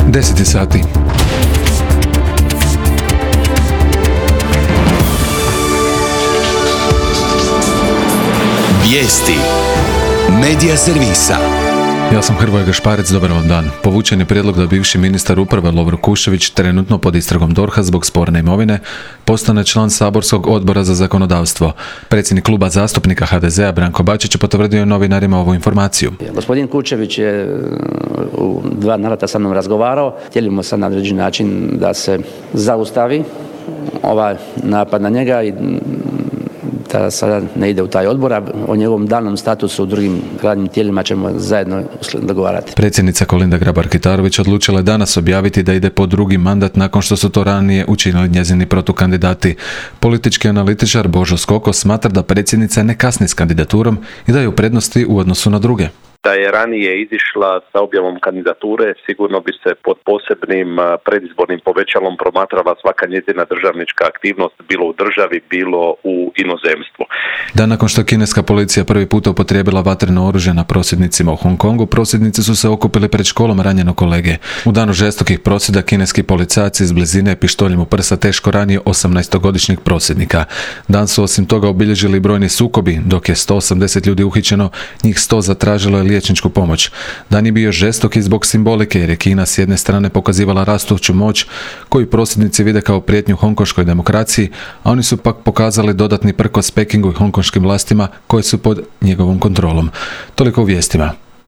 10 sati. Vijesti Medija servisa. Ja sam Hrvoje Gašparec, dobar vam dan. Povučen je prijedlog da bivši ministar uprave Lovro Kuščević, trenutno pod istragom DORH-a zbog sporne imovine, postane član saborskog odbora za zakonodavstvo. Predsjednik kluba zastupnika HDZ-a Branko Bačić je potvrdio novinarima ovu informaciju. Gospodin Kuščević je u 2 navrata sa mnom razgovarao. Htjeli sad na određeni način da se zaustavi ovaj napad na njega i da sada ne ide u taj odbor, a o njegovom daljnjem statusu u drugim radnim tijelima ćemo zajedno dogovarati. Predsjednica Kolinda Grabar-Kitarović odlučila je danas objaviti da ide po drugi mandat nakon što su to ranije učinili njezini protukandidati. Politički analitičar Božo Skoko smatra da predsjednica ne kasni s kandidaturom i da je u prednosti u odnosu na druge. Da je ranije izišla sa objavom kandidature, sigurno bi se pod posebnim predizbornim povećalom promatrala svaka njezina državnička aktivnost, bilo u državi, bilo u inozemstvu. Dan nakon što kineska policija prvi puta upotrijebila vatreno oružje na prosvjednicima u Hong Kongu, prosvjednici su se okupili pred školom ranjenog kolege. U danu žestokih prosvjeda kineski policajac iz blizine pištoljem u prsa teško ranio 18-godišnjeg prosvjednika. Dan su osim toga obilježili brojni sukobi, dok je 180 ljudi uhićeno, njih 100 zatražilo je liječničku pomoć. Dan je bio žestok i zbog simbolike jer je Kina s jedne strane pokazivala rastuću moć koju prosvjednici vide kao prijetnju hongkonškoj demokraciji, a oni su pak pokazali dodatni prkos Pekingu i hongkonškim vlastima koje su pod njegovom kontrolom. Toliko u vijestima.